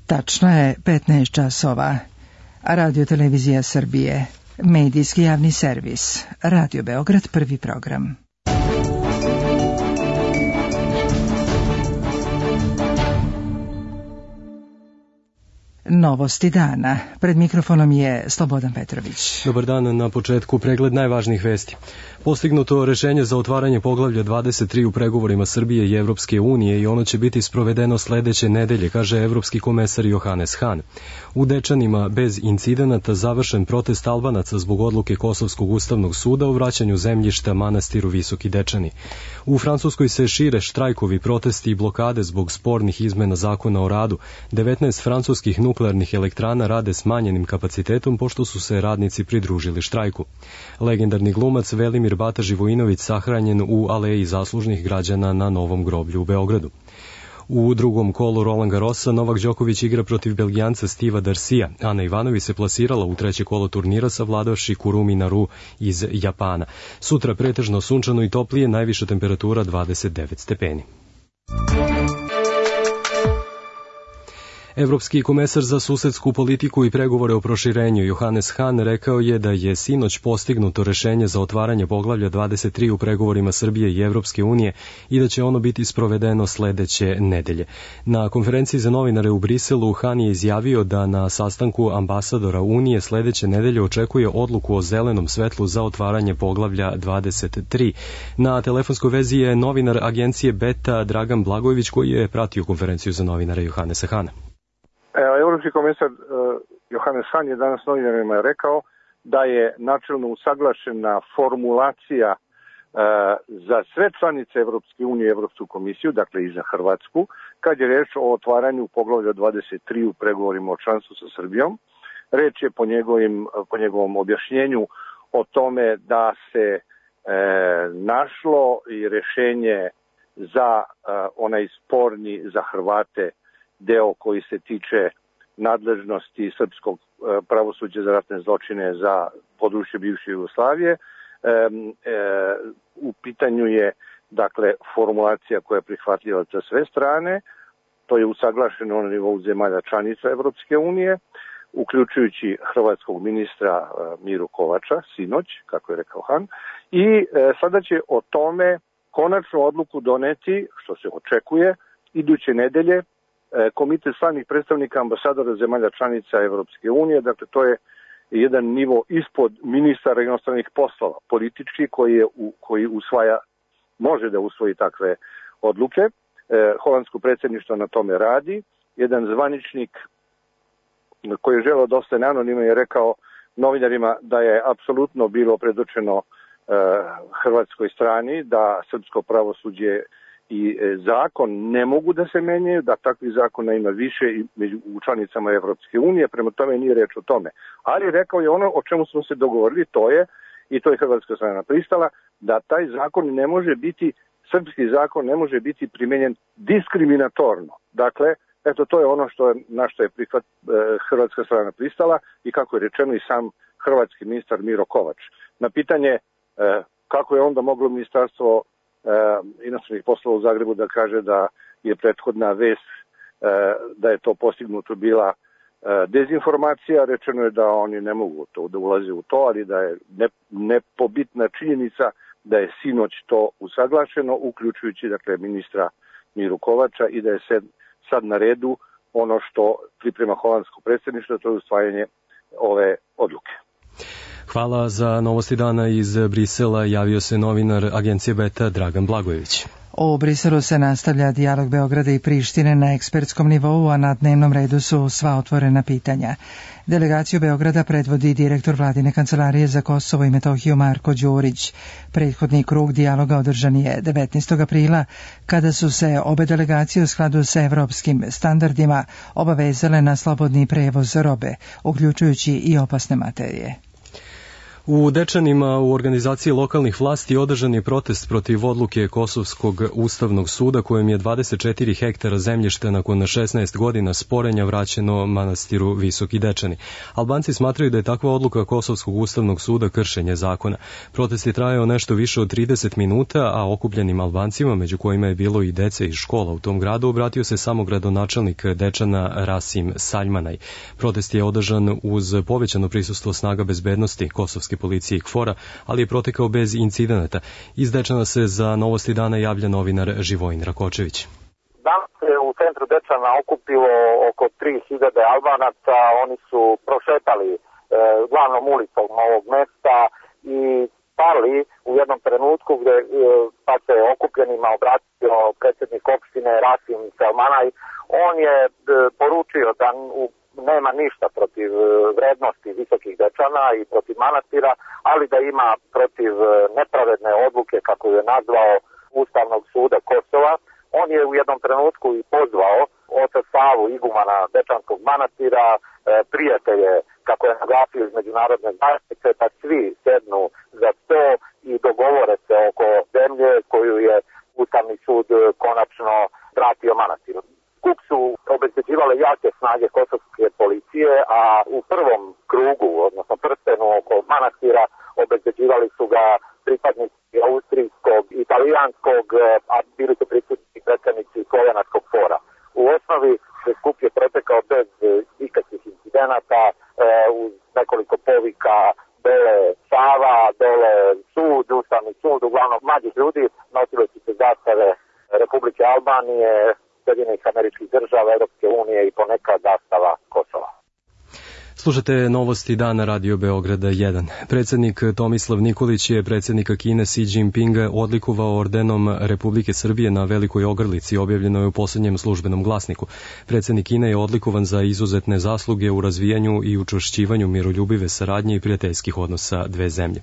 Tačno je 15 časova. Radio Televizija Srbije, medijski javni servis, Radio Beograd, prvi program. Novosti dana. Pred mikrofonom je Slobodan Petrović. Dobar dan, na početku pregled najvažnijih vesti. Postignuto rešenje za otvaranje poglavlja 23 u pregovorima Srbije i Evropske unije i ono će biti sprovedeno sledeće nedelje, kaže evropski komesar Johannes Hahn. U Dečanima bez incidenata završen protest Albanaca zbog odluke Kosovskog ustavnog suda o vraćanju zemljišta manastiru Visoki Dečani. U Francuskoj se šire štrajkovi, protesti i blokade zbog spornih izmena zakona o radu. 19 francuskih nuklearnih elektrana rade smanjenim kapacitetom pošto su se radnici pridružili štrajku. Legendarni glumac Velimir Bata Živojinović sahranjen u aleji zaslužnih građana na Novom groblju u Beogradu. U drugom kolu Roland Garrosa Novak Đoković igra protiv Belgijanca Steva Darcija. Ana Ivanović se plasirala u treće kolo turnira savladavši Kurumi Naru iz Japana. Sutra pretežno sunčano i toplije, najviša temperatura 29 stepeni. Evropski komesar za susedsku politiku i pregovore o proširenju Johannes Hahn rekao je da je sinoć postignuto rešenje za otvaranje poglavlja 23 u pregovorima Srbije i Evropske unije i da će ono biti sprovedeno sledeće nedelje. Na konferenciji za novinare u Briselu Hahn je izjavio da na sastanku ambasadora Unije sledeće nedelje očekuje odluku o zelenom svetlu za otvaranje poglavlja 23. Na telefonskoj vezi je novinar agencije Beta Dragan Blagojević koji je pratio konferenciju za novinare Johannesa Hahna. Evropski komesar Johannes Hahn je danas novinarima rekao da je načelno usaglašena formulacija za sve članice Evropske unije i Evropsku komisiju, dakle i za Hrvatsku, kad je reč o otvaranju poglavlja 23 u pregovorima o članstvu sa Srbijom. Reč je po njegovom objašnjenju o tome da se našlo i rešenje za onaj sporni za Hrvate deo koji se tiče nadležnosti srpskog pravosuđa za ratne zločine za područje bivše Jugoslavije. U pitanju je, dakle, formulacija koja je prihvatljiva za sve strane. To je usaglašeno na nivou zemalja članica Evropske unije, uključujući hrvatskog ministra Miru Kovača, sinoć, kako je rekao Hahn. I sada će o tome konačnu odluku doneti, što se očekuje, iduće nedelje, Komitet stalnih predstavnika ambasadora zemalja članica Evropske unije, dakle to je jedan nivo ispod ministara inostranih poslova, politički koji može da usvoji takve odluke. Holandsko predsjedništvo na tome radi. Jedan zvaničnik koji je želeo da ostane anonimno je rekao novinarima da je apsolutno bilo predočeno hrvatskoj strani da srpsko pravosuđe i zakon ne mogu da se menjaju, da takvih zakona ima više i u članicama Evropske unije, prema tome nije reč o tome. Ali rekao je ono o čemu smo se dogovorili, to je hrvatska strana pristala, da taj zakon ne može biti, srpski zakon ne može biti primenjen diskriminatorno. Dakle, eto to je ono na što je hrvatska strana pristala i kako je rečeno i sam hrvatski ministar Miro Kovač. Na pitanje kako je onda moglo ministarstvo inostranih poslova u Zagrebu da kaže da je prethodna vest da je to postignuto bila dezinformacija, rečeno je da oni ne mogu da ulaze u to, ali da je nepobitna činjenica da je sinoć to usaglašeno, uključujući dakle ministra Miru Kovača i da je sad na redu ono što priprema holandsko predsjedništvo, to je usvajanje ove odluke. Hvala za novosti dana iz Brisela. Javio se novinar agencije Beta Dragan Blagojević. U Briselu se nastavlja dijalog Beograda i Prištine na ekspertskom nivou, a na dnevnom redu su sva otvorena pitanja. Delegaciju Beograda predvodi direktor Vladine kancelarije za Kosovo i Metohiju Marko Đurić. Prethodni krug dijaloga održan je 19. aprila, kada su se obe delegacije u skladu sa evropskim standardima obavezale na slobodni prevoz robe, uključujući i opasne materije. U Dečanima u organizaciji lokalnih vlasti održan je protest protiv odluke Kosovskog ustavnog suda kojem je 24 hektara zemljišta nakon 16 godina sporenja vraćeno manastiru Visoki Dečani. Albanci smatraju da je takva odluka Kosovskog ustavnog suda kršenje zakona. Protest je trajao nešto više od 30 minuta, a okupljenim Albancima, među kojima je bilo i dece iz škola u tom gradu, obratio se samo gradonačelnik Dečana Rasim Saljmanaj. Protest je održan uz povećano prisustvo snaga bezbednosti Kosovske policije i KFOR-a, ali je protekao bez incidenata. Iz Dečana se za Novosti dana javlja novinar Živojin Rakočević. Danas se u centru Dečana okupilo oko 3000 Albanaca. Oni su prošetali glavnom ulicom ovog mesta i stali u jednom trenutku gde pa se okupljenima obratio predsjednik opštine Rasim Selmanaj. On je poručio da nema ništa protiv vrednosti Visokih Dečana i protiv manastira, ali da ima protiv nepravedne odluke, kako je nazvao, Ustavnog suda Kosova. On je u jednom trenutku i pozvao oca Savu, igumana Dečanskog manastira, prijatelje, kako je naglasio iz međunarodne zajednice, da svi sednu za sto i dogovore se oko zemlje koju je Ustavni sud konačno vratio manastiru. Skup su obezbeđivale jake snage kosovske policije, a u prvom krugu, odnosno prstenu oko manastira, obezbeđivali su ga pripadnici austrijskog, italijanskog, a bili su prisutni predstavnici slovenačkog KFOR-a. U osnovi se skup je protekao bez ikakvih incidenata, uz nekoliko povika dole Sava, dole sud, Ustavni sud, uglavnom mlađih ljudi, nosili su se zastave Republike Albanije, Sjedinjenih Američkih Država, Europske unije i ponekad zastava Kosova. Slušate Novosti dana Radio Beograda 1. Predsjednik Tomislav Nikolić je predsjednika Kine Xi Jinpinga odlikovao ordenom Republike Srbije na Velikoj Ogrlici, objavljeno je u posljednjem službenom glasniku. Predsjednik Kine je odlikovan za izuzetne zasluge u razvijanju i učvršćivanju miroljubive saradnje i prijateljskih odnosa dve zemlje.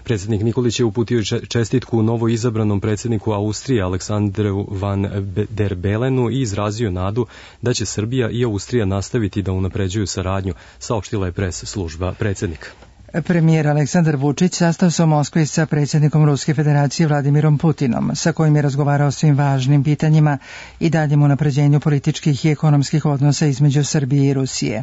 Predsjednik Nikolić je uputio čestitku novo izabranom predsjedniku Austrije Aleksandru van der Belenu i izrazio nadu da će Srbija i Austrija nastaviti da unapređuju saradnju, saopštila je pres služba predsjednika. Premijer Aleksandar Vučić sastao se u Moskvi sa predsjednikom Ruske federacije Vladimirom Putinom, sa kojim je razgovarao o svim važnim pitanjima i daljem unapređenju političkih i ekonomskih odnosa između Srbije i Rusije.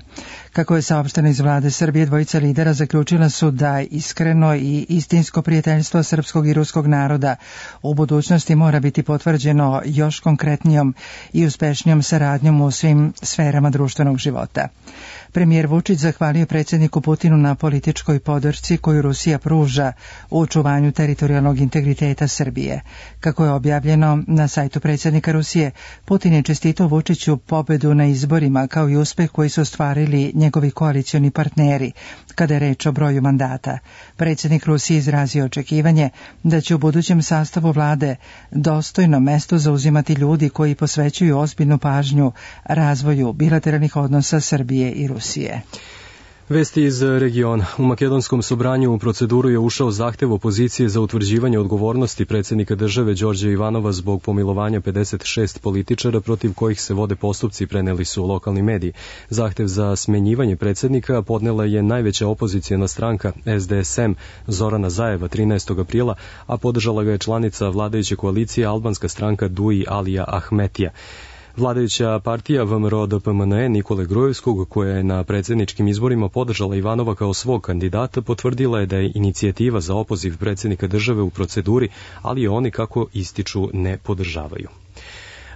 Kako je saopšteno iz vlade Srbije, dvojica lidera zaključila su da iskreno i istinsko prijateljstvo srpskog i ruskog naroda u budućnosti mora biti potvrđeno još konkretnijom i uspešnijom saradnjom u svim sferama društvenog života. Premijer Vučić zahvalio predsjedniku Putinu na političkoj podršci koju Rusija pruža u očuvanju teritorijalnog integriteta Srbije. Kako je objavljeno na sajtu predsjednika Rusije, Putin je čestitao Vučiću pobedu na izborima kao i uspeh koji su ostvarili njegovi koalicioni partneri kada je reč o broju mandata. Predsjednik Rusije izrazio očekivanje da će u budućem sastavu vlade dostojno mesto zauzimati ljudi koji posvećuju ozbiljnu pažnju razvoju bilateralnih odnosa Srbije i Rusije. Vesti iz regiona. U makedonskom sobranju u proceduru je ušao zahtev opozicije za utvrđivanje odgovornosti predsjednika države Đorđa Ivanova zbog pomilovanja 56 političara protiv kojih se vode postupci, preneli su lokalni mediji. Zahtev za smenjivanje predsjednika podnela je najveća opozicijona stranka SDSM Zorana Zajeva 13. aprila, a podržala ga je članica vladajuće koalicije albanska stranka Dui Alija Ahmetija. Vladajuća partija VMRO-DPMNE Nikole Grujevskog, koja je na predsjedničkim izborima podržala Ivanova kao svog kandidata, potvrdila je da je inicijativa za opoziv predsjednika države u proceduri, ali je oni, kako ističu, ne podržavaju.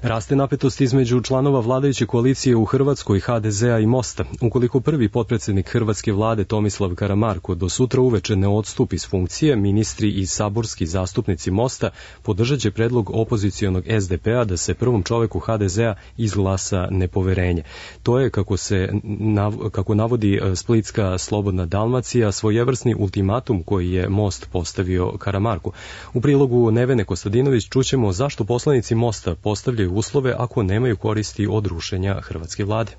Raste napetost između članova vladajuće koalicije u Hrvatskoj, HDZ-a i Mosta. Ukoliko prvi potpredsjednik hrvatske vlade Tomislav Karamarko do sutra uveče ne odstupi s funkcije, ministri i saborski zastupnici Mosta podržat će predlog opozicionog SDP-a da se prvom čoveku HDZ-a izglasa nepoverenje. To je, kako navodi Splitska Slobodna Dalmacija, svojevrsni ultimatum koji je Most postavio Karamarku. U prilogu Nevene Kostadinović čućemo zašto poslanici Mosta postavljaju uslove ako nemaju koristi od rušenja hrvatske vlade.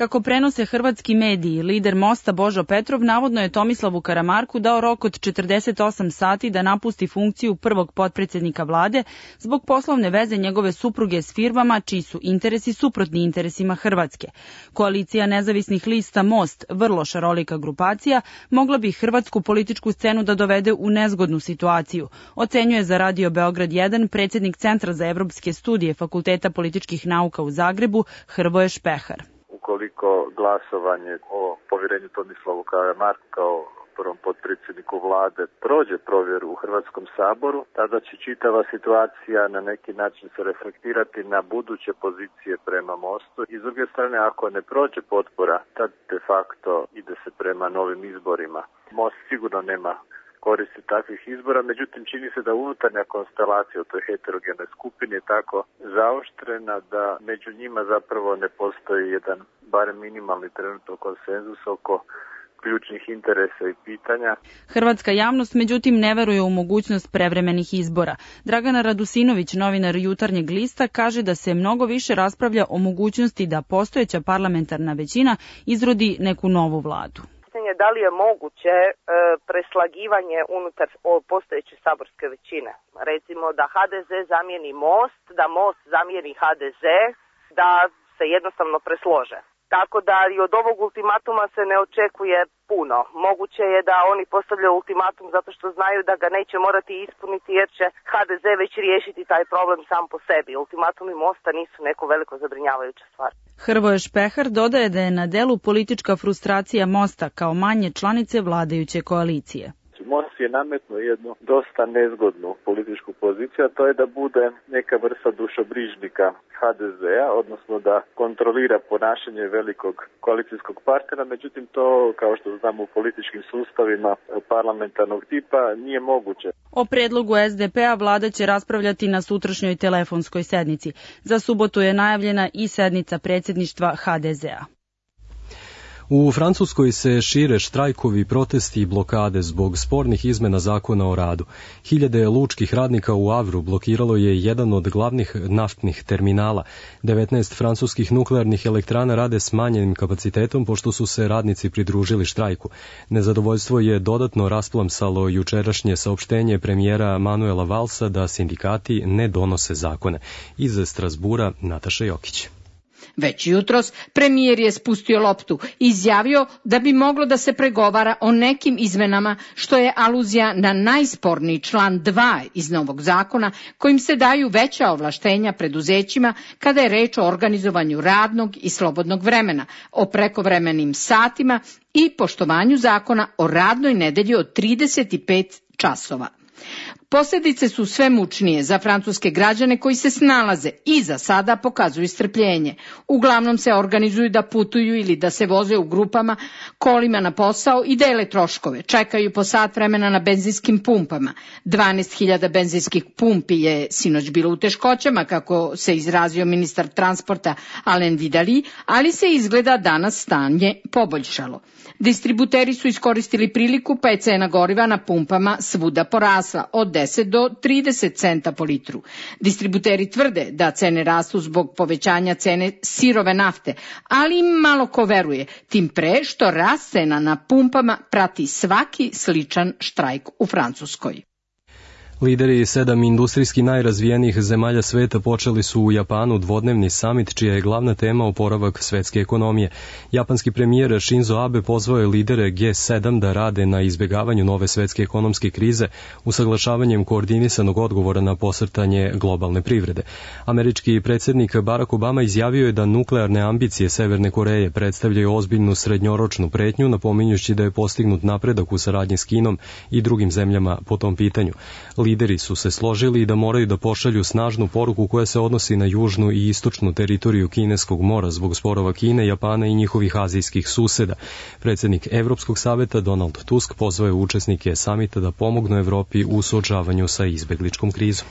Kako prenose hrvatski mediji, lider Mosta Božo Petrov navodno je Tomislavu Karamarku dao rok od 48 sati da napusti funkciju prvog potpredsjednika vlade zbog poslovne veze njegove supruge s firmama čiji su interesi suprotni interesima Hrvatske. Koalicija nezavisnih lista Most, vrlo šarolika grupacija, mogla bi hrvatsku političku scenu da dovede u nezgodnu situaciju, ocenjuje za Radio Beograd 1 predsjednik Centra za evropske studije Fakulteta političkih nauka u Zagrebu Hrvoje Špehar. Ukoliko glasovanje o povjerenju Tomislavu Karamarku kao prvom potpredsjedniku vlade prođe provjeru u Hrvatskom saboru, tada će čitava situacija na neki način se reflektirati na buduće pozicije prema Mostu. I s druge strane, ako ne prođe potpora, tad de facto ide se prema novim izborima. Most sigurno nema koristi takvih izbora, međutim čini se da unutarnja konstelacija u toj heterogenoj skupini je tako zaoštrena da među njima zapravo ne postoji jedan barem minimalni trenutno konsenzus oko ključnih interesa i pitanja. Hrvatska javnost međutim ne veruje u mogućnost prevremenih izbora. Dragana Radusinović, novinar Jutarnjeg lista, kaže da se mnogo više raspravlja o mogućnosti da postojeća parlamentarna većina izrodi neku novu vladu. Da li je moguće preslagivanje unutar postojeće saborske većine? Recimo da HDZ zamijeni Most, da Most zamijeni HDZ, da se jednostavno preslože. Tako da i od ovog ultimatuma se ne očekuje puno. Moguće je da oni postavljaju ultimatum zato što znaju da ga neće morati ispuniti jer će HDZ već riješiti taj problem sam po sebi. Ultimatumi Mosta nisu neko veliko zabrinjavajuća stvar. Hrvoje Špehar dodaje da je na delu politička frustracija Mosta kao manje članice vladajuće koalicije. Most je nametnuo jednu dosta nezgodnu političku poziciju, a to je da bude neka vrsta dušobrižnika HDZ-a, odnosno da kontrolira ponašanje velikog koalicijskog partnera, međutim to, kao što znamo u političkim sustavima parlamentarnog tipa, nije moguće. O predlogu SDP-a vlada će raspravljati na sutrašnjoj telefonskoj sednici. Za subotu je najavljena i sednica predsjedništva HDZ-a. U Francuskoj se šire štrajkovi, protesti i blokade zbog spornih izmena zakona o radu. Hiljade lučkih radnika u Avru blokiralo je jedan od glavnih naftnih terminala. 19 francuskih nuklearnih elektrana rade s manjenim kapacitetom pošto su se radnici pridružili štrajku. Nezadovoljstvo je dodatno rasplamsalo jučerašnje saopštenje premijera Manuela Valsa da sindikati ne donose zakone. Iz Strasbura Nataša Jokić. Već jutros premijer je spustio loptu i izjavio da bi moglo da se pregovara o nekim izmenama, što je aluzija na najsporniji član 2 iz novog zakona, kojim se daju veća ovlaštenja preduzećima kada je reč o organizovanju radnog i slobodnog vremena, o prekovremenim satima i poštovanju zakona o radnoj nedelji od 35 časova. Posljedice su sve mučnije za francuske građane koji se snalaze i za sada pokazuju strpljenje. Uglavnom se organizuju da putuju ili da se voze u grupama kolima na posao i dele troškove. Čekaju po sat vremena na benzinskim pumpama. 12.000 benzinskih pumpi je sinoć bilo u teškoćama, kako se izrazio ministar transporta Alain Vidali, ali se izgleda danas stanje poboljšalo. Distributeri su iskoristili priliku pa je cena goriva na pumpama svuda porasla od 10 do 30 centa po litru. Distributeri tvrde da cene rastu zbog povećanja cene sirove nafte, ali im malo ko veruje, tim pre što rast cena na pumpama prati svaki sličan štrajk u Francuskoj. Lideri 7 industrijski najrazvijenijih zemalja sveta počeli su u Japanu dvodnevni samit čija je glavna tema oporavak svetske ekonomije. Japanski premijer Shinzo Abe pozvao je lidere G7 da rade na izbjegavanju nove svetske ekonomske krize usaglašavanjem koordinisanog odgovora na posrtanje globalne privrede. Američki predsjednik Barack Obama izjavio je da nuklearne ambicije Severne Koreje predstavljaju ozbiljnu srednjoročnu pretnju, napominjući da je postignut napredak u saradnji s Kinom i drugim zemljama po tom pitanju. Lideri su se složili da moraju da pošalju snažnu poruku koja se odnosi na južnu i istočnu teritoriju Kineskog mora zbog sporova Kine, Japana i njihovih azijskih suseda. Predsjednik Evropskog saveta Donald Tusk pozvao je učesnike samita da pomognu Evropi u suočavanju sa izbegličkom krizom.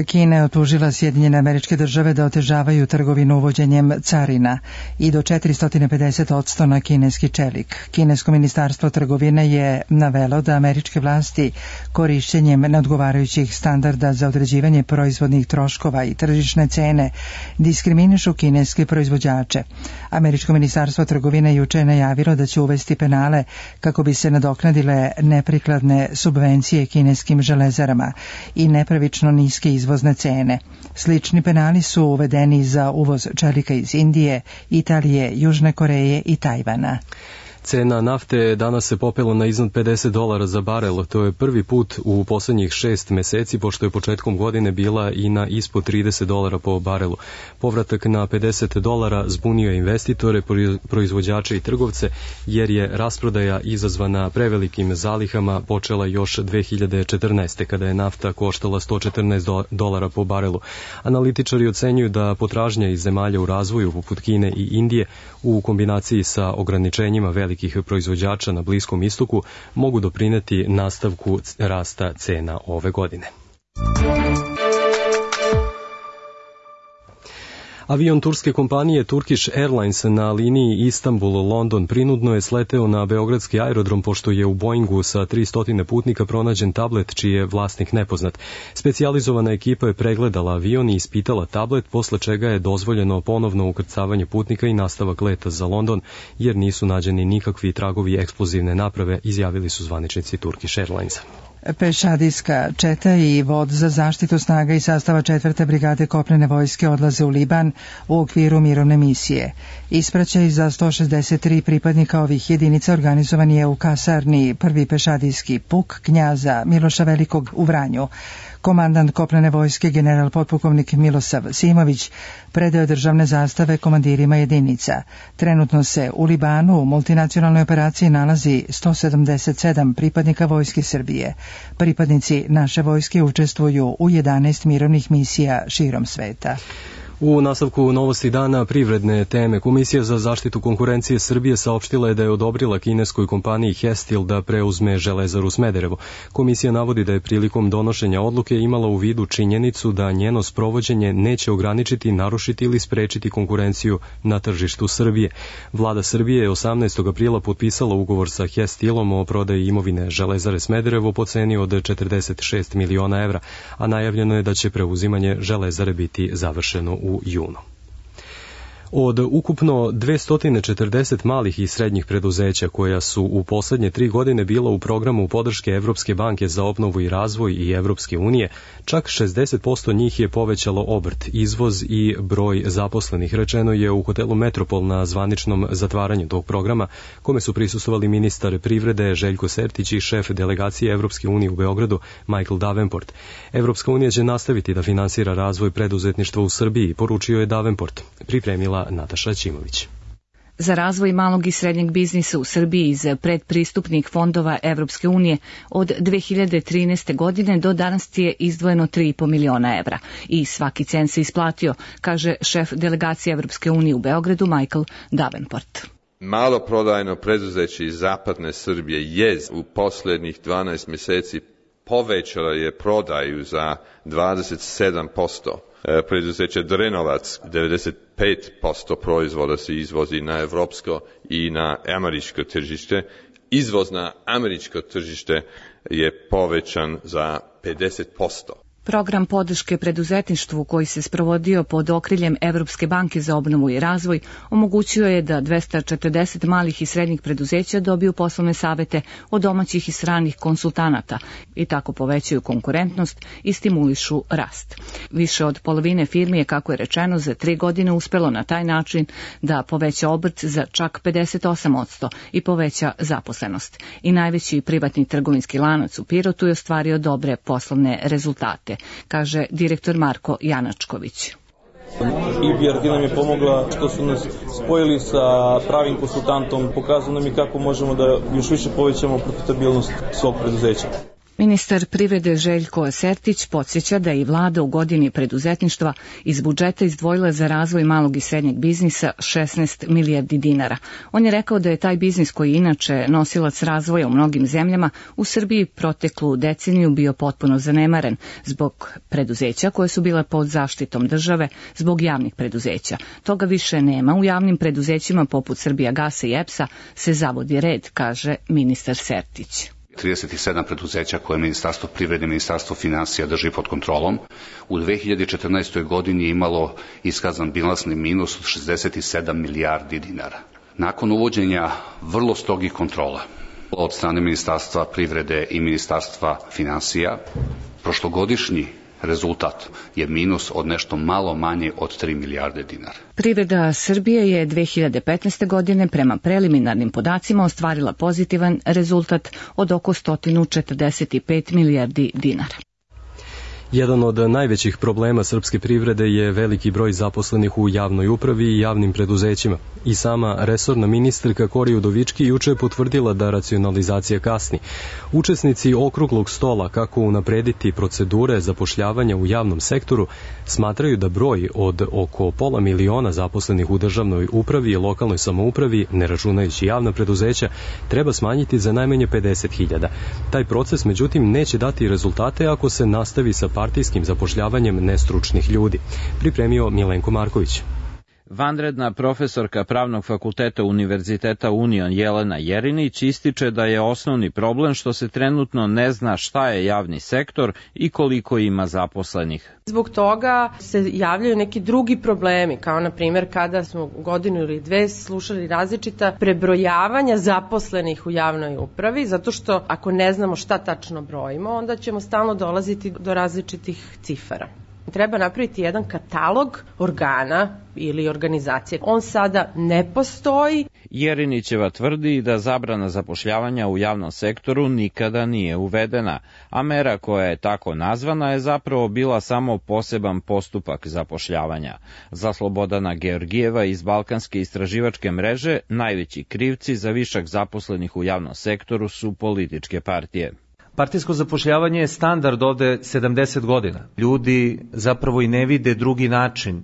Kina je optužila Sjedinjene Američke Države da otežavaju trgovinu uvođenjem carina i do 450% na kineski čelik. Kinesko ministarstvo trgovine je navelo da američke vlasti korišćenjem neodgovarajućih standarda za određivanje proizvodnih troškova i tržišne cene diskriminišu kineske proizvođače. Američko ministarstvo trgovine juče je najavilo da će uvesti penale kako bi se nadoknadile neprikladne subvencije kineskim železarama i nepravično niske izvozne cene. Slični penali su uvedeni za uvoz čelika iz Indije, Italije, Južne Koreje i Tajvana. Cena nafte danas se popela na iznad $50 za barel. To je prvi put u poslednjih 6 meseci, pošto je početkom godine bila i na ispod $30 po barelu. Povratak na $50 zbunio je investitore, proizvođače i trgovce, jer je rasprodaja izazvana prevelikim zalihama počela još 2014. kada je nafta koštala $114 po barelu. Analitičari ocenjuju da potražnja iz zemalja u razvoju, poput Kine i Indije, u kombinaciji sa ograničenjima velikih proizvođača na Bliskom istoku mogu doprineti nastavku rasta cena ove godine. Avion turske kompanije Turkish Airlines na liniji Istanbul-London prinudno je sleteo na beogradski aerodrom pošto je u Boeingu sa 300 putnika pronađen tablet čiji je vlasnik nepoznat. Specijalizovana ekipa je pregledala avion i ispitala tablet, posle čega je dozvoljeno ponovno ukrcavanje putnika i nastavak leta za London, jer nisu nađeni nikakvi tragovi eksplozivne naprave, izjavili su zvaničnici Turkish Airlinesa. Pešadijska četa i vod za zaštitu snaga i sastava 4. brigade kopnene vojske odlaze u Liban u okviru mirovne misije. Ispraćaj za 163 pripadnika ovih jedinica organizovan je u kasarni 1. pešadijski puk knjaza Miloša Velikog u Vranju. Komandant kopnene vojske general potpukovnik Milosav Simović predao državne zastave komandirima jedinica. Trenutno se u Libanu u multinacionalnoj operaciji nalazi 177 pripadnika vojske Srbije. Pripadnici naše vojske učestvuju u 11 mirovnih misija širom sveta. U nastavku novosti dana privredne teme, Komisija za zaštitu konkurencije Srbije saopštila je da je odobrila kineskoj kompaniji Hestil da preuzme Železaru Smederevo. Komisija navodi da je prilikom donošenja odluke imala u vidu činjenicu da njeno sprovođenje neće ograničiti, narušiti ili sprečiti konkurenciju na tržištu Srbije. Vlada Srbije je 18. aprila potpisala ugovor sa Hestilom o prodaji imovine Železare Smederevo po ceni od 46 miliona evra, a najavljeno je da će preuzimanje Železare biti završeno u junu. Od ukupno 240 malih i srednjih preduzeća koja su u poslednje 3 godine bila u programu podrške Evropske banke za obnovu i razvoj i Evropske unije, čak 60% njih je povećalo obrt, izvoz i broj zaposlenih, rečeno je u hotelu Metropol na zvaničnom zatvaranju tog programa, kome su prisustvovali ministar privrede Željko Sertić i šef delegacije Evropske unije u Beogradu Michael Davenport. Evropska unija će nastaviti da finansira razvoj preduzetništva u Srbiji, poručio je Davenport. Pripremila Nataša Ćimović. Za razvoj malog i srednjeg biznisa u Srbiji iz predpristupnih fondova Evropske unije od 2013. godine do danas je izdvojeno 3,5 miliona evra i svaki cent se isplatio, kaže šef delegacije Evropske unije u Beogradu Michael Davenport. Maloprodajno preduzeće iz zapadne Srbije je u poslednjih 12 meseci povećala je prodaju za 27%. Preduzeće Drenovac, 95% proizvoda se izvozi na evropsko i na američko tržište. Izvoz na američko tržište je povećan za 50%. Program podrške preduzetništvu koji se sprovodio pod okriljem Evropske banke za obnovu i razvoj omogućio je da 240 malih i srednjih preduzeća dobiju poslovne savete od domaćih i stranih konsultanata i tako povećaju konkurentnost i stimulišu rast. Više od polovine firmi je, kako je rečeno, za 3 godine uspelo na taj način da poveća obrt za čak 58% i poveća zaposlenost. I najveći privatni trgovinski lanac u Pirotu je ostvario dobre poslovne rezultate, kaže direktor Marko Janačković. EBRD nam je pomogla što su nas spojili sa pravim konsultantom, pokazali nam i kako možemo da još više povećamo profitabilnost svog preduzeća. Ministar privrede Željko Sertić podsjeća da je i vlada u godini preduzetništva iz budžeta izdvojila za razvoj malog i srednjeg biznisa 16 milijardi dinara. On je rekao da je taj biznis, koji inače nosilac razvoja u mnogim zemljama, u Srbiji proteklu deceniju bio potpuno zanemaren zbog preduzeća koje su bile pod zaštitom države, zbog javnih preduzeća. Toga više nema. U javnim preduzećima poput Srbijagasa i EPS-a se zavodi red, kaže ministar Sertić. 37 preduzeća koje Ministarstvo privrede i Ministarstvo finansija drži pod kontrolom. U 2014. godini je imalo iskazan bilansni minus od 67 milijardi dinara. Nakon uvođenja vrlo strogih kontrola od strane Ministarstva privrede i Ministarstva finansija, prošlogodišnji rezultat je minus od nešto malo manje od 3 milijarde dinara. Privreda Srbije je 2015. godine prema preliminarnim podacima ostvarila pozitivan rezultat od oko 145 milijardi dinara. Jedan od najvećih problema srpske privrede je veliki broj zaposlenih u javnoj upravi i javnim preduzećima. I sama resorna ministarka Kori Udovički juče je potvrdila da racionalizacija kasni. Učesnici okruglog stola kako unaprediti procedure zapošljavanja u javnom sektoru smatraju da broj od oko 500.000 zaposlenih u državnoj upravi i lokalnoj samoupravi, ne računajući javna preduzeća, treba smanjiti za najmanje 50.000. Taj proces, međutim, neće dati rezultate ako se nastavi sa partijskim zapošljavanjem nestručnih ljudi. Pripremio Milenko Marković. Vanredna profesorka Pravnog fakulteta Univerziteta Union Jelena Jerinić ističe da je osnovni problem što se trenutno ne zna šta je javni sektor i koliko ima zaposlenih. Zbog toga se javljaju neki drugi problemi, kao na primjer kada smo godinu ili dve slušali različita prebrojavanja zaposlenih u javnoj upravi, zato što ako ne znamo šta tačno brojimo, onda ćemo stalno dolaziti do različitih cifara. Treba napraviti jedan katalog organa ili organizacije. On sada ne postoji. Jerinićeva tvrdi da zabrana zapošljavanja u javnom sektoru nikada nije uvedena, a mera koja je tako nazvana je zapravo bila samo poseban postupak zapošljavanja. Za Slobodana Georgijeva iz Balkanske istraživačke mreže najveći krivci za višak zaposlenih u javnom sektoru su političke partije. Partijsko zapošljavanje je standard ovde 70 godina. Ljudi zapravo i ne vide drugi način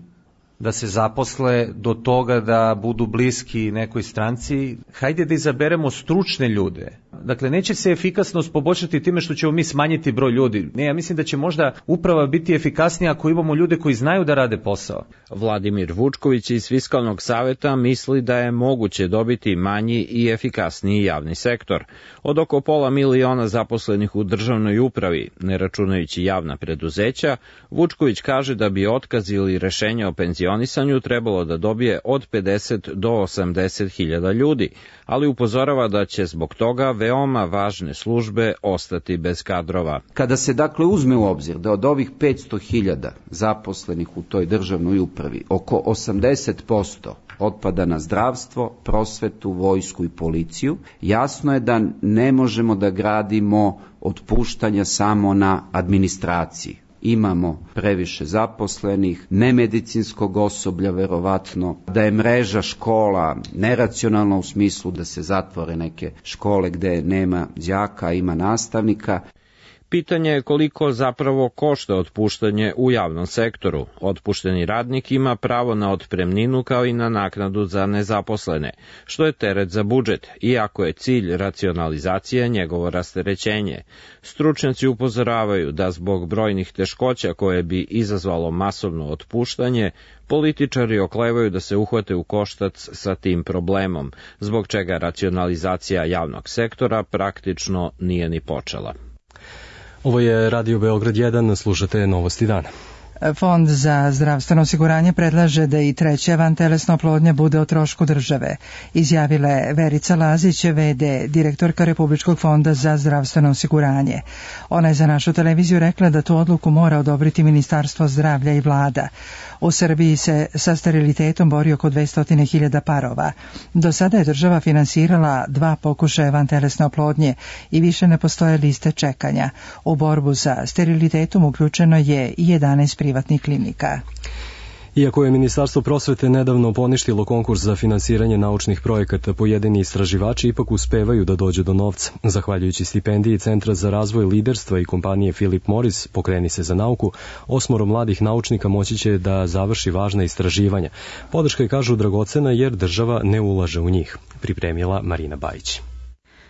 da se zaposle do toga da budu bliski nekoj stranci. Hajde da izaberemo stručne ljude. Dakle, neće se efikasnost poboljšati time što ćemo mi smanjiti broj ljudi. Ne, ja mislim da će možda uprava biti efikasnija ako imamo ljude koji znaju da rade posao. Vladimir Vučković iz Fiskalnog saveta misli da je moguće dobiti manji i efikasniji javni sektor. Od oko 500.000 zaposlenih u državnoj upravi, ne računajući javna preduzeća, Vučković kaže da bi otkaz ili rešenje o penzionisanju trebalo da dobije od 50 do 80.000 ljudi, ali upozorava da će zbog toga veoma važne službe ostati bez kadrova. Kada se dakle uzme u obzir da od ovih 500.000 zaposlenih u toj državnoj upravi oko 80% otpada na zdravstvo, prosvetu, vojsku i policiju, jasno je da ne možemo da gradimo otpuštanja samo na administraciji. Imamo previše zaposlenih, nemedicinskog osoblja verovatno, da je mreža škola neracionalna u smislu da se zatvore neke škole gde nema đaka, ima nastavnika. Pitanje je koliko zapravo košta otpuštanje u javnom sektoru. Otpušteni radnik ima pravo na otpremninu kao i na naknadu za nezaposlene, što je teret za budžet, iako je cilj racionalizacije njegovo rasterećenje. Stručnjaci upozoravaju da zbog brojnih teškoća koje bi izazvalo masovno otpuštanje, političari oklevaju da se uhvate u koštac sa tim problemom, zbog čega racionalizacija javnog sektora praktično nije ni počela. Ovo je Radio Beograd 1, slušate Novosti dana. Fond za zdravstveno osiguranje predlaže da i treća vantelesna oplodnja bude o trošku države, izjavila je Verica Lazić, VD, direktorka Republičkog fonda za zdravstveno osiguranje. Ona je za našu televiziju rekla da tu odluku mora odobriti Ministarstvo zdravlja i vlada. U Srbiji se sa sterilitetom bori oko 200.000 parova. Do sada je država finansirala 2 pokušaja vantelesne oplodnje i više ne postoje liste čekanja. U borbu sa sterilitetom uključeno je i 11 privatnih klinika. Iako je Ministarstvo prosvete nedavno poništilo konkurs za finansiranje naučnih projekata, pojedini istraživači ipak uspevaju da dođu do novca. Zahvaljujući stipendiji Centra za razvoj liderstva i kompanije Philip Morris, Pokreni se za nauku, 8 mladih naučnika moći će da završi važna istraživanja. Podrška je, kažu, dragocena jer država ne ulaže u njih. Pripremila Marina Bajić.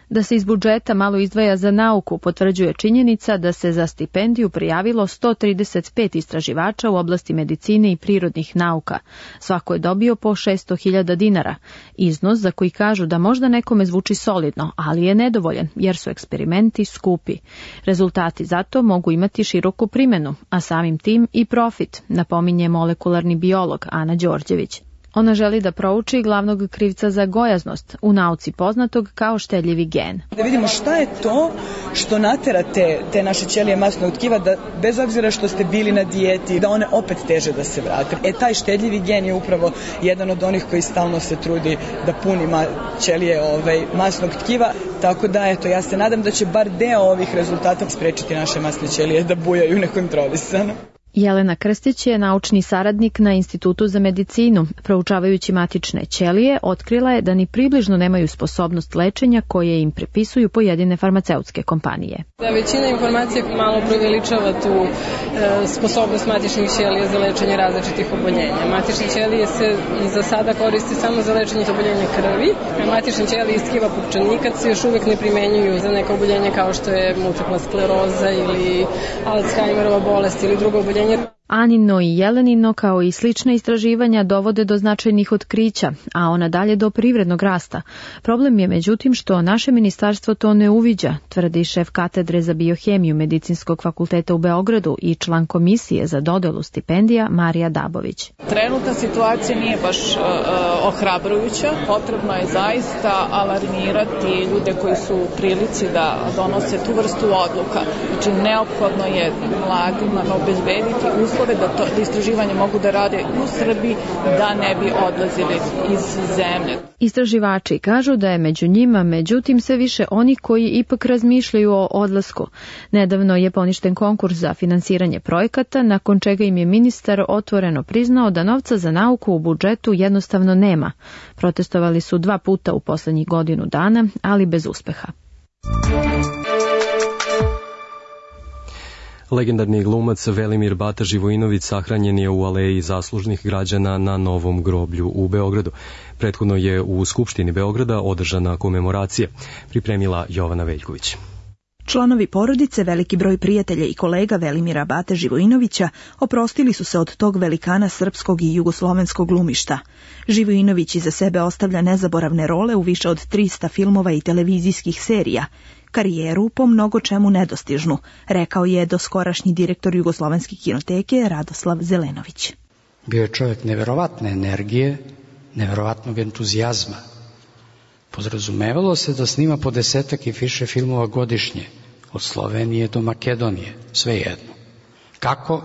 Da se iz budžeta malo izdvaja za nauku potvrđuje činjenica da se za stipendiju prijavilo 135 istraživača u oblasti medicine i prirodnih nauka. Svako je dobio po 600.000 dinara. Iznos za koji kažu da možda nekome zvuči solidno, ali je nedovoljan jer su eksperimenti skupi. Rezultati zato mogu imati široku primjenu, a samim tim i profit, napominje molekularni biolog Ana Đorđević. Ona želi da prouči glavnog krivca za gojaznost, u nauci poznatog kao štedljivi gen. Da vidimo šta je to što natera te naše ćelije masnog tkiva da bez obzira što ste bili na dijeti, da one opet teže da se vrate. Taj štedljivi gen je upravo jedan od onih koji stalno se trudi da puni ćelije masnog tkiva. Tako da, ja se nadam da će bar deo ovih rezultata sprečiti naše masne ćelije da bujaju nekontrolisano. Jelena Krstić je naučni saradnik na Institutu za medicinu. Proučavajući matične ćelije, otkrila je da ni približno nemaju sposobnost lečenja koje im prepisuju pojedine farmaceutske kompanije. Da, većina informacija malo preveličava tu sposobnost matičnih ćelija za lečenje različitih oboljenja. Matične ćelije se za sada koriste samo za lečenje oboljenja krvi, a matične ćelije iz tkiva pupčanika se još uvijek ne primenjuju za neka oboljenja kao što je multipla skleroza ili Alzheimerova bolest ili drugo oboljenje. Anino i Jelenino kao i slična istraživanja dovode do značajnih otkrića, a ona dalje do privrednog rasta. Problem je međutim što naše ministarstvo to ne uviđa, tvrdi šef katedre za biohemiju Medicinskog fakulteta u Beogradu i član komisije za dodelu stipendija Marija Dabović. Trenutna situacija nije baš ohrabrujuća. Potrebno je zaista alarmirati ljude koji su u prilici da donose tu vrstu odluka. Znači neophodno je mladima obezbediti uslove da istraživanje mogu da rade u Srbiji, da ne bi odlazili iz zemlje. Istraživači kažu da je među njima, međutim, sve više oni koji ipak razmišljaju o odlasku. Nedavno je poništen konkurs za finansiranje projekata, nakon čega im je ministar otvoreno priznao da novca za nauku u budžetu jednostavno nema. Protestovali su 2 puta u poslednjih godinu dana, ali bez uspeha. Legendarni glumac Velimir Bata Živojinović sahranjen je u aleji zaslužnih građana na Novom groblju u Beogradu. Prethodno je u Skupštini Beograda održana komemoracija. Pripremila Jovana Veljković. Članovi porodice, veliki broj prijatelja i kolega Velimira Bate Živojinovića oprostili su se od tog velikana srpskog i jugoslovenskog glumišta. Živojinović iza sebe ostavlja nezaboravne role u više od 300 filmova i televizijskih serija. Karijeru po mnogo čemu nedostižnu, rekao je doskorašnji direktor Jugoslovenske kinoteke Radoslav Zelenović. Bio je čovjek neverovatne energije, neverovatnog entuzijazma. Podrazumevalo se da snima po 10 i više filmova godišnje, od Slovenije do Makedonije, svejedno. Kako?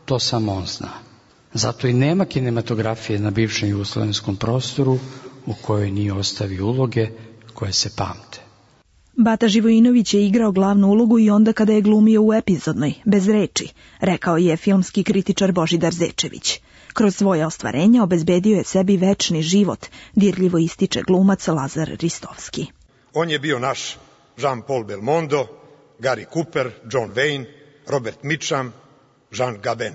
To samo on zna. Zato i nema kinematografije na bivšem jugoslovenskom prostoru u kojoj nije ostavio uloge koje se pamte. Bata Živojinović je igrao glavnu ulogu i onda kada je glumio u epizodnoj, bez reči, rekao je filmski kritičar Božidar Zečević. Kroz svoje ostvarenja obezbedio je sebi večni život, dirljivo ističe glumac Lazar Ristovski. On je bio naš Jean-Paul Belmondo, Gary Cooper, John Wayne, Robert Mitchum, Jean Gabin.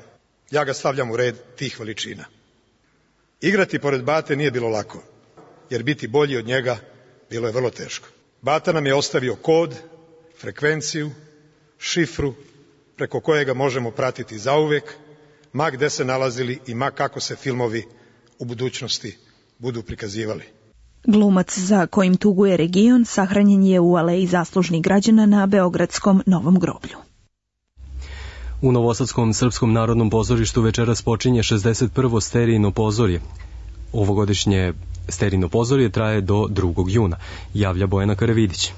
Ja ga stavljam u red tih veličina. Igrati pored Bate nije bilo lako, jer biti bolji od njega bilo je vrlo teško. Bata nam je ostavio kod, frekvenciju, šifru, preko kojega možemo pratiti zauvek, ma gde se nalazili i ma kako se filmovi u budućnosti budu prikazivali. Glumac za kojim tuguje region sahranjen je u aleji zaslužnih građana na Beogradskom Novom groblju. U Novosadskom Srpskom narodnom pozorištu večeras počinje 61. sterijno pozorje. Ovogodišnje sterijno pozorje traje do 2. juna, javlja Bojana Karavidić.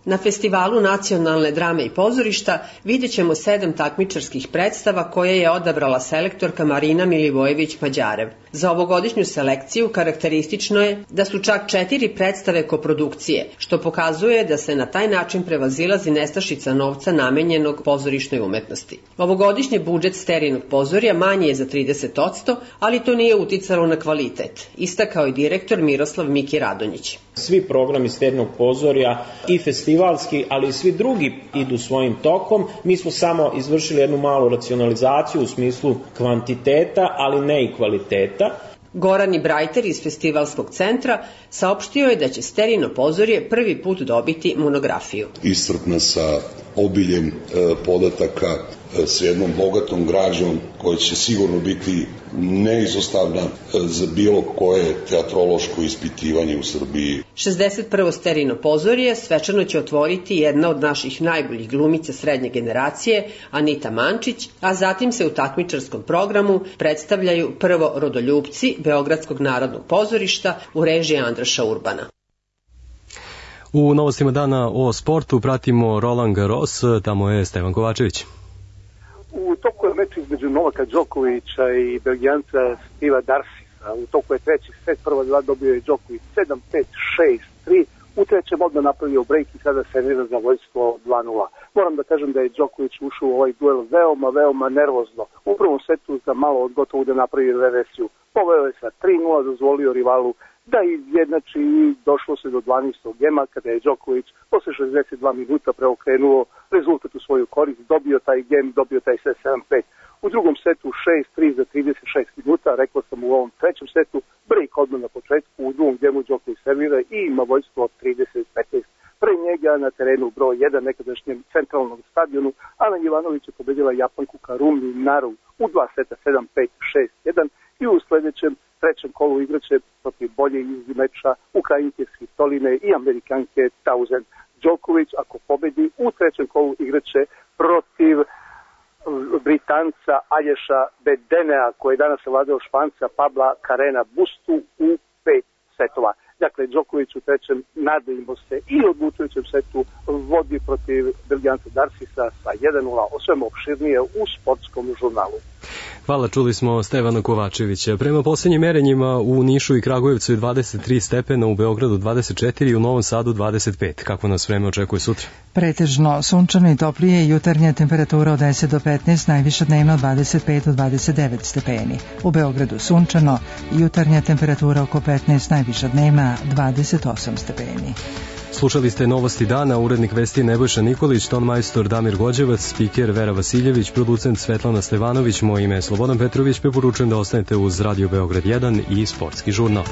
Na festivalu nacionalne drame i pozorišta vidjet ćemo 7 takmičarskih predstava koje je odabrala selektorka Marina Milivojević-Mađarev. Za ovogodišnju selekciju karakteristično je da su čak 4 predstave koprodukcije, što pokazuje da se na taj način prevazilazi nestašica novca namenjenog pozorišnoj umetnosti. Ovogodišnji budžet Sterinog pozorja manji je za 30%, ali to nije uticalo na kvalitet, istakao je direktor Miroslav Miki Radonjić. Svi programi Sterinog pozorja i festivalski, ali i svi drugi idu svojim tokom. Mi smo samo izvršili jednu malu racionalizaciju u smislu kvantiteta, ali ne i kvaliteta. Goran Ibrajter iz Festivalskog centra saopštio je da će Sterino pozorje prvi put dobiti monografiju. Iscrpna sa obiljem podataka, s jednom bogatom građom koja će sigurno biti neizostavna za bilo koje teatrološko ispitivanje u Srbiji. 61. Sterino pozorje svečano će otvoriti jedna od naših najboljih glumica srednje generacije, Anita Mančić, a zatim se u takmičarskom programu predstavljaju prvo Rodoljupci Beogradskog narodnog pozorišta u režiji Andraša Urbana. U novostima dana o sportu pratimo Roland Garros, tamo je Stevan Kovačević. U toku je meč između Novaka Đokovića i Belgijanca Steva Darsisa. U toku je treći set, prva dva dobio je Đoković 7-5, 6-3. U trećem odmah napravio break i sada servira za vojstvo 2-0. Moram da kažem da je Đoković ušao u ovaj duel veoma nervozno. U prvom setu za malo od gotovo da napravi reversiju. Poveo je sa 3-0, dozvolio rivalu da izjednači i došlo se do 12. gema kada je Đoković posle 62 minuta preokrenuo rezultat u svoju korist, dobio taj gem, dobio taj set 7-5. U drugom setu 6-3 za 36 minuta, rekao sam u ovom trećem setu, break odmah na početku, u drugom gemu Đoković servira i ima vojstvo od 30-15. Pre njega na terenu broj 1 nekadašnjem centralnom stadionu, Ana Jovanović je pobedila Japanku Karumi Naru u 2 seta 7-5, 6-1 i u sledećem trećem kolu igraće protiv bolje iz meča Ukrajinke Svitoline i Amerikanke Tauzen. Đoković, ako pobedi, u trećem kolu igraće protiv Britanca Alješa Bedenea, koji je danas vladao Španca Pabla Carrena Bustu u 5 setova. Dakle, Đoković u trećem nadejmo se i odlučujućem setu vodi protiv Belgijanca Darsisa sa 1-0, o svemu opširnije u sportskom žurnalu. Hvala, čuli smo Stevana Kovačevića. Prema posljednjim merenjima u Nišu i Kragujevcu je 23 stepena, u Beogradu 24 i u Novom Sadu 25. Kako nas vreme očekuje sutra? Pretežno sunčano i toplije, jutarnja temperatura od 10 do 15, najviša dnevno od 25 do 29 stepeni. U Beogradu sunčano, jutarnja temperatura oko 15, najviša dnevna 28 stepeni. Slušali ste Novosti dana, urednik vesti Nebojša Nikolić, tonmajstor Damir Gođevac, spiker Vera Vasiljević, producent Svetlana Stevanović, moje ime je Slobodan Petrović, preporučujem da ostanete uz Radio Beograd 1 i Sportski žurnal.